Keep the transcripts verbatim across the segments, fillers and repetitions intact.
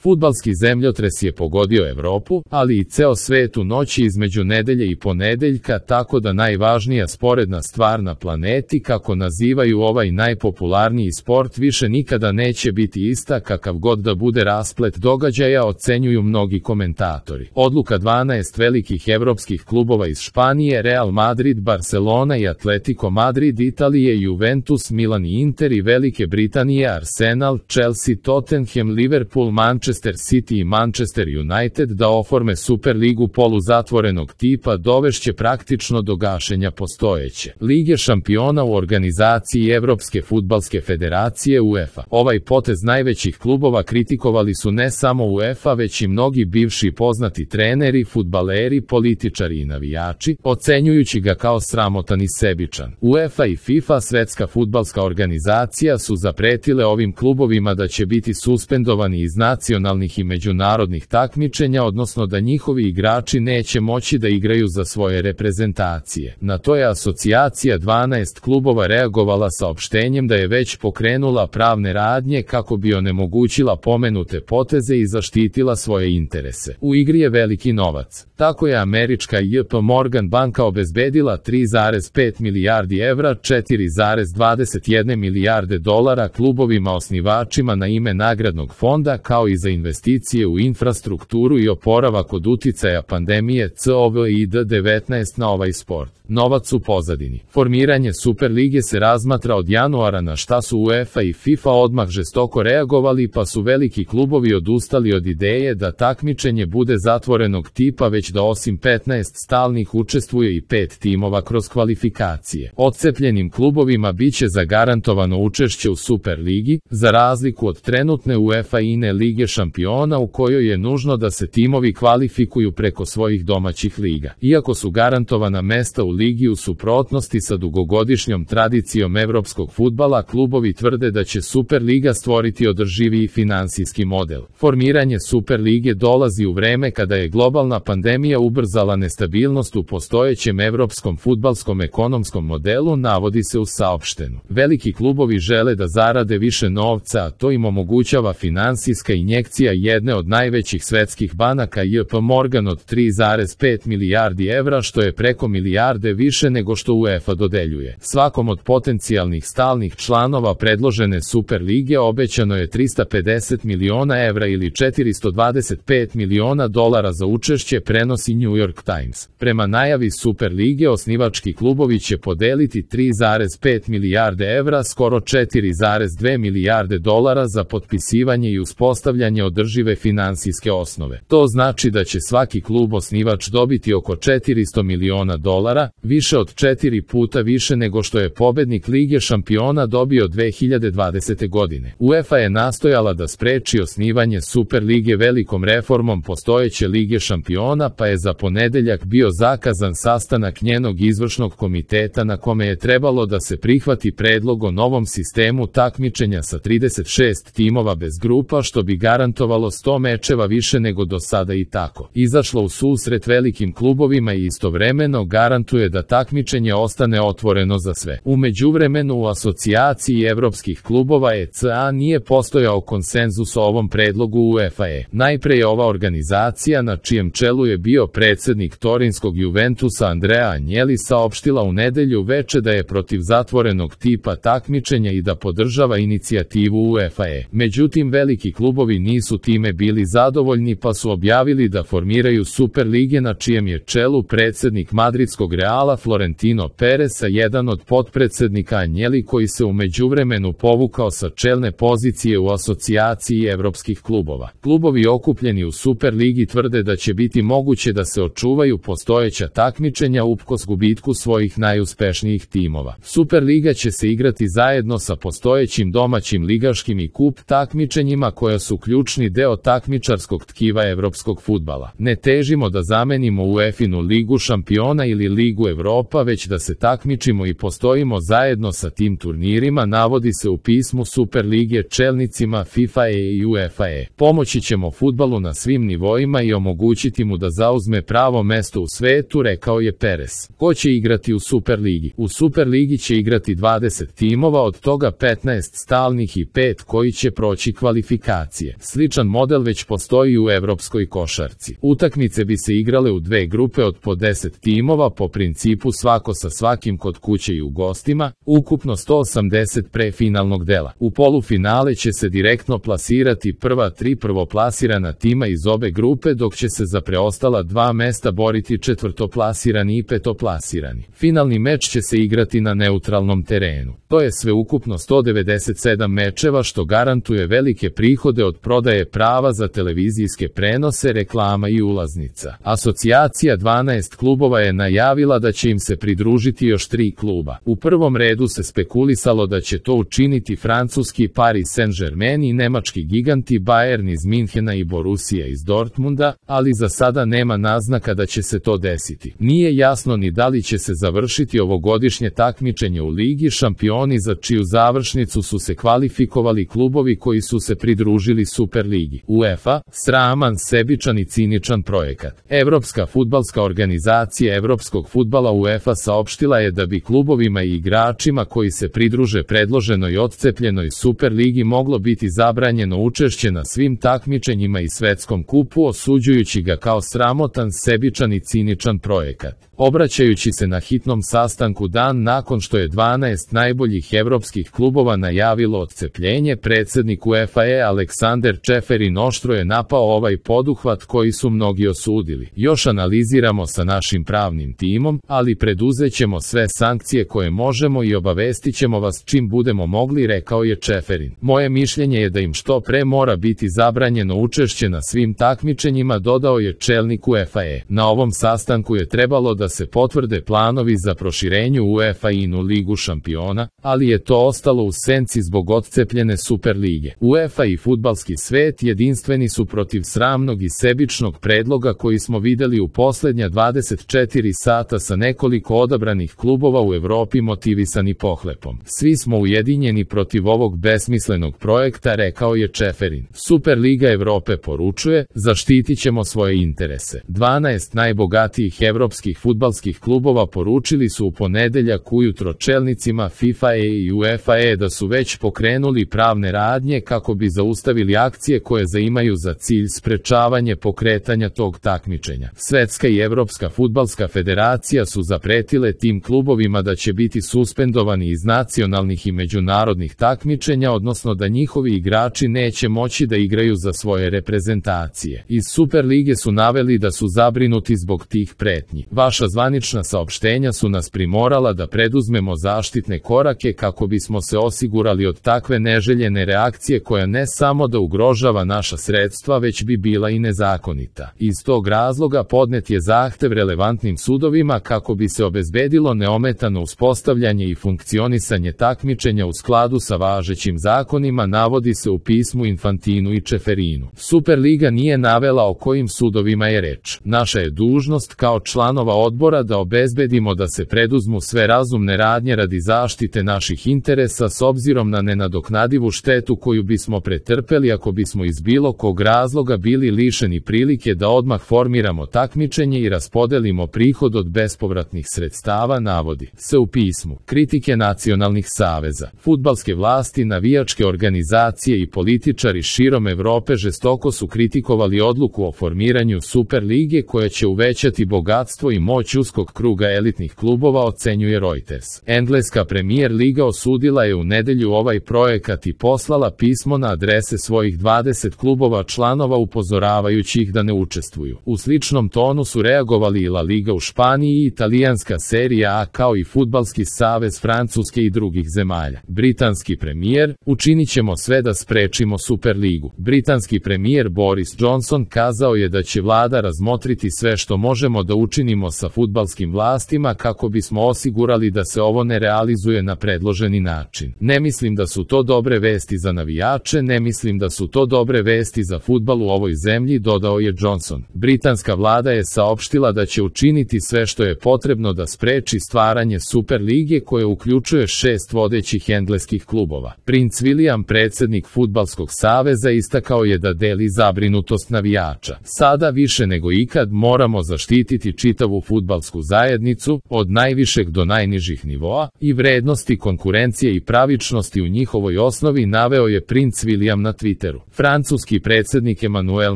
Fudbalski zemljotres je pogodio Evropu, ali i ceo svet u noći između nedelje i ponedeljka, tako da najvažnija sporedna stvar na planeti, kako nazivaju ovaj najpopularniji sport, više nikada neće biti ista, kakav god da bude rasplet događaja, ocenjuju mnogi komentatori. Odluka dvanaest velikih evropskih klubova iz Španije, Real Madrid, Barcelona i Atletico Madrid, Italije, Juventus, Milan i Inter i Velike Britanije, Arsenal, Chelsea, Tottenham, Liverpool, Manchester City i Manchester United da oforme Superligu poluzatvorenog tipa dovešće praktično do gašenja postojeće Lige šampiona u organizaciji Evropske fudbalske federacije UEFA. Ovaj potez najvećih klubova kritikovali su ne samo UEFA, već i mnogi bivši poznati treneri, fudbaleri, političari i navijači, ocenjujući ga kao sramotan i sebičan. UEFA i FIFA, svetska fudbalska organizacija, su zapretile ovim klubovima da će biti suspendovani iz nacionalnih i međunarodnih takmičenja, odnosno da njihovi igrači neće moći da igraju za svoje reprezentacije. Na to je asocijacija dvanaest klubova reagovala saopštenjem da je već pokrenula pravne radnje kako bi onemogućila pomenute poteze i zaštitila svoje interese. U igri je veliki novac. Tako je američka J P Morgan banka obezbedila tri zarez pet milijardi evra, četiri zarez dvadeset jedna milijarde dolara klubovima osnivačima na ime nagradnog fonda, kao i za investicije u infrastrukturu i oporavak od uticaja pandemije kovid devetnaest na ovaj sport. Novac u pozadini. Formiranje Superlige se razmatra od januara, na šta su UEFA i FIFA odmah žestoko reagovali, pa su veliki klubovi odustali od ideje da takmičenje bude zatvorenog tipa, već da osim petnaest stalnih učestvuje i pet timova kroz kvalifikacije. Odcepljenim klubovima biće zagarantovano učešće u Superligi, za razliku od trenutne UEFA-ine Lige šampiona u kojoj je nužno da se timovi kvalifikuju preko svojih domaćih liga. Iako su garantovana mesta u ligi u suprotnosti sa dugogodišnjom tradicijom evropskog fudbala, klubovi tvrde da će Superliga stvoriti održiviji finansijski model. Formiranje Superlige dolazi u vreme kada je globalna pandemija ubrzala nestabilnost u postojećem evropskom fudbalskom ekonomskom modelu, navodi se u saopštenu. Veliki klubovi žele da zarade više novca, a to im omogućava finansijska injekcija jedne od najvećih svetskih banaka J P Morgan od tri zarez pet milijardi evra, što je preko milijarde više nego što UEFA dodeljuje. Svakom od potencijalnih stalnih članova predložene Superlige obećano je trista pedeset miliona evra ili četiristo dvadeset pet miliona dolara za učešće, prenosi New York Times. Prema najavi Superlige, osnivački klubovi će podeliti tri zarez pet milijarde evra, skoro četiri zarez dve milijarde dolara za potpisivanje i uspostavljanje održive finansijske osnove. To znači da će svaki klub osnivač dobiti oko četiristo miliona dolara, više od četiri puta više nego što je pobednik Lige šampiona dobio dve hiljade dvadesete godine. UEFA je nastojala da spreči osnivanje Superlige velikom reformom postojeće Lige šampiona, pa je za ponedeljak bio zakazan sastanak njenog izvršnog komiteta na kome je trebalo da se prihvati predlog o novom sistemu takmičenja sa trideset šest timova bez grupa, što bi garantovalo sto mečeva više nego do sada i tako izašlo u susret velikim klubovima i istovremeno garantuje da takmičenje ostane otvoreno za sve. U međuvremenu u asocijaciji evropskih klubova E C A nije postojao konsenzus o ovom predlogu UEFA-e. Najpre je ova organizacija, na čijem čelu je bio predsednik torinskog Juventusa Andrea Agnelli, saopštila u nedelju veče da je protiv zatvorenog tipa takmičenja i da podržava inicijativu UEFA-e. Međutim, veliki klubovi nisu time bili zadovoljni, pa su objavili da formiraju Superlige, na čijem je čelu predsednik madridskog Reala Florentino Perez, a jedan od potpredsednika Agnelli, koji se u međuvremenu povukao sa čelne pozicije u asocijaciji evropskih klubova. Klubovi okupljeni u Superligi tvrde da će biti moguće da se očuvaju postojeća takmičenja uprkos gubitku svojih najuspešnijih timova. Superliga će se igrati zajedno sa postojećim domaćim ligaškim i kup takmičenjima, koja su ključni deo takmičarskog tkiva evropskog fudbala. Ne težimo da zamenimo UEFA-inu Ligu šampiona ili Ligu Evropa, već da se takmičimo i postojimo zajedno sa tim turnirima, navodi se u pismu Superlige čelnicima FIFA-e i UEFA-e. Pomoći ćemo fudbalu na svim nivoima i omogućiti mu da zauzme pravo mesto u svetu, rekao je Perez. Ko će igrati u Superligi? U Superligi će igrati dvadeset timova, od toga petnaest stalnih i pet koji će proći kvalifikacije. Sličan model već postoji u evropskoj košarci. Utakmice bi se igrale u dve grupe od po deset timova po principu svako sa svakim kod kuće i u gostima, ukupno sto osamdeset pre finalnog dela. U polufinale će se direktno plasirati prva tri prvoplasirana tima iz obe grupe, dok će se za preostala dva mesta boriti četvrtoplasirani i petoplasirani. Finalni meč će se igrati na neutralnom terenu. To je sve ukupno sto devedeset sedam mečeva, što garantuje velike prihode od prodaje prava za televizijske prenose, reklama i ulaznica. Asocijacija dvanaest klubova je najavila da će im se pridružiti još tri kluba. U prvom redu se spekulisalo da će to učiniti francuski Paris Saint-Germain i nemački giganti Bayern iz Minhena i Borussia iz Dortmunda, ali za sada nema naznaka da će se to desiti. Nije jasno ni da li će se završiti ovogodišnje takmičenje u Ligi šampioni, za čiju završnicu su se kvalifikovali klubovi koji su se pridružili Superligi. UEFA, sraman, sebičan i ciničan projekat. Evropska fudbalska organizacija evropskog fudbala UEFA saopštila je da bi klubovima i igračima koji se pridruže predloženoj odcepljenoj Superligi moglo biti zabranjeno učešće na svim takmičenjima i svetskom kupu, osuđujući ga kao sramotan, sebičan i ciničan projekat. Obraćajući se na hitnom sastanku dan nakon što je dvanaest najboljih evropskih klubova najavilo odcepljenje, predsednik UEFA je Aleksander Čeferin oštro je napao ovaj poduhvat koji su mnogi osudili. Još analiziramo sa našim pravnim timom, ali preduzećemo sve sankcije koje možemo i obavestit ćemo vas čim budemo mogli, rekao je Čeferin. Moje mišljenje je da im što pre mora biti zabranjeno učešće na svim takmičenjima, dodao je čelnik UEFA. Na ovom sastanku je trebalo da se potvrde planovi za proširenje UEFA-inu Ligu šampiona, ali je to ostalo u senci zbog odcepljene Superlige. UEFA i fudbalski svet jedinstveni su protiv sramnog i sebičnog predloga koji smo videli u poslednja dvadeset četiri sata sa nekoliko odabranih klubova u Evropi motivisani pohlepom. Svi smo ujedinjeni protiv ovog besmislenog projekta, rekao je Čeferin. Superliga Evrope poručuje, zaštitit ćemo svoje interese. dvanaest najbogatijih evropskih fudbalskih klubova poručili su u ponedeljak ujutro čelnicima FIFA i UEFA da su već pokrenuli pravne radnje kako bi zaustavili akcije koje zaimaju za cilj sprečavanje pokretanja tog takmičenja. Svetska i Evropska fudbalska federacija su zapretile tim klubovima da će biti suspendovani iz nacionalnih i međunarodnih takmičenja, odnosno da njihovi igrači neće moći da igraju za svoje reprezentacije. Iz Superlige su naveli da su zabrinuti zbog tih pretnji. Vaša zvanična saopštenja su nas primorala da preduzmemo zaštitne korake kako bismo se osigurali od takve neželjene reakcije koja ne samo da ugrožava naša sredstva, već bi bila i nezakonita. Iz tog razloga podnet je zahtev relevantnim sudovima kako bi se obezbedilo neometano uspostavljanje i funkcionisanje takmičenja u skladu sa važećim zakonima, navodi se u pismu Infantinu i Čeferinu. Superliga nije navela o kojim sudovima je reč. Naša je dužnost kao članova odbora da obezbedimo da se preduzmu sve razumne radnje radi zaštite naših interesa s obzirom na nenadoknadivu štetu koju bismo pretrpeli ako bismo iz bilo kog razloga bili lišeni prilike da odmah formiramo takmičenje i raspodelimo prihod od bespovratnih sredstava, navodi se u pismu. Kritike nacionalnih saveza, fudbalske vlasti, navijačke organizacije i političari širom Evrope žestoko su kritikovali odluku o formiranju Superlige koja će uvećati bogatstvo i moć uskog kruga elitnih klubova, ocenjuje Reuters. Engleska Premier Liga osudila je u nedelju ovaj projekat i poslala pismo na adrese svojih dvadeset klubova članova upozoravajući ih da ne učestvuju. U sličnom tonu su reagovali i La Liga u Španiji i italijanska serija A kao i fudbalski savez Francuske i drugih zemalja. Britanski premijer, učinit ćemo sve da sprečimo Superligu. Britanski premijer Boris Johnson kazao je da će vlada razmotriti sve što možemo da učinimo sa fudbalskim vlastima kako bismo osigurali da se ovo ne realizuje na predloženi način. Ne mislim da su to dobre vesti za navijače, ne mislim da su to dobre vesti za fudbal u ovoj zemlji, dodao je Johnson. Britanska vlada je saopštila da će učiniti sve što je potrebno da spreči stvaranje Superlige koje uključuje šest vodećih engleskih klubova. Princ William, predsednik Fudbalskog saveza, istakao je da deli zabrinutost navijača. Sada više nego ikad moramo zaštititi čitavu fudbalsku fudbalsku zajednicu, od najvišeg do najnižih nivoa, i vrednosti konkurencije i pravičnosti u njihovoj osnovi naveo je princ William na Twitteru. Francuski predsjednik Emmanuel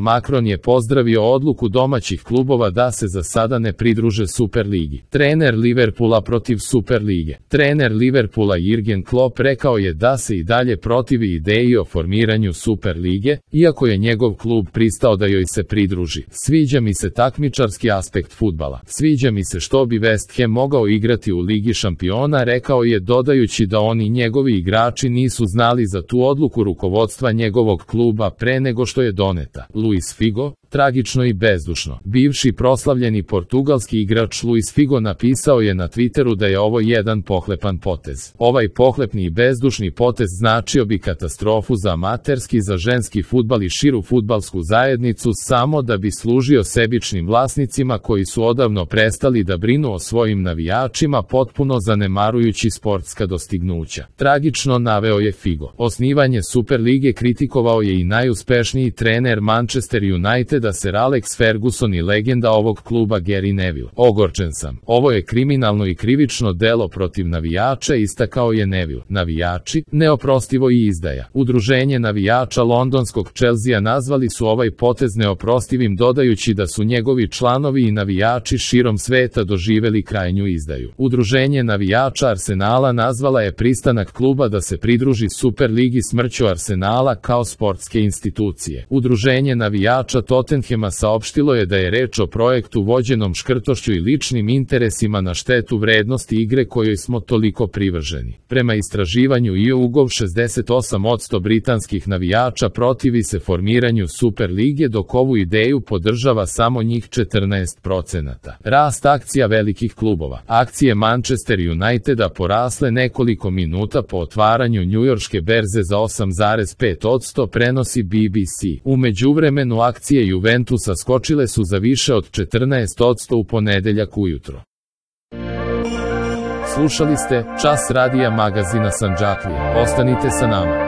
Macron je pozdravio odluku domaćih klubova da se za sada ne pridruže Superligi. Trener Liverpoola protiv Superlige. Trener Liverpoola Jürgen Klopp rekao je da se i dalje protivi ideji o formiranju Superlige, iako je njegov klub pristao da joj se pridruži. Sviđa mi se takmičarski aspekt fudbala. Sviđa mi se što bi West Ham mogao igrati u Ligi šampiona, rekao je, dodajući da oni njegovi igrači nisu znali za tu odluku rukovodstva njegovog kluba pre nego što je doneta. Luis Figo, tragično i bezdušno. Bivši proslavljeni portugalski igrač Luis Figo napisao je na Twitteru da je ovo jedan pohlepan potez. Ovaj pohlepni i bezdušni potez značio bi katastrofu za amaterski, za ženski fudbal i širu fudbalsku zajednicu, samo da bi služio sebičnim vlasnicima koji su odavno prestali da brinu o svojim navijačima, potpuno zanemarujući sportska dostignuća. Tragično, naveo je Figo. Osnivanje Superlige kritikovao je i najuspešniji trener Manchester United da Sir Alex Ferguson i legenda ovog kluba Gary Neville. Ogorčen sam. Ovo je kriminalno i krivično delo protiv navijača, istakao je Neville. Navijači, neoprostivo i izdaja. Udruženje navijača londonskog Chelsea nazvali su ovaj potez neoprostivim, dodajući da su njegovi članovi i navijači širom sveta doživeli krajnju izdaju. Udruženje navijača Arsenala nazvala je pristanak kluba da se pridruži Superligi smrću Arsenala kao sportske institucije. Udruženje navijača Tottenhama saopštilo je da je reč o projektu vođenom škrtošću i ličnim interesima na štetu vrednosti igre kojoj smo toliko privrženi. Prema istraživanju YouGov, šezdeset osam posto britanskih navijača protivi se formiranju Superlige, dok ovu ideju podržava samo njih četrnaest procenata. Rast akcija velikih klubova. Akcije Manchester Uniteda porasle nekoliko minuta po otvaranju njujorške berze za osam zarez pet posto, prenosi B B C. U međuvremenu akcije Juventusa skočile su za više od četrnaest posto u ponedeljak ujutro. Slušali ste Čas radija magazina Sandžaklije. Ostanite sa nama.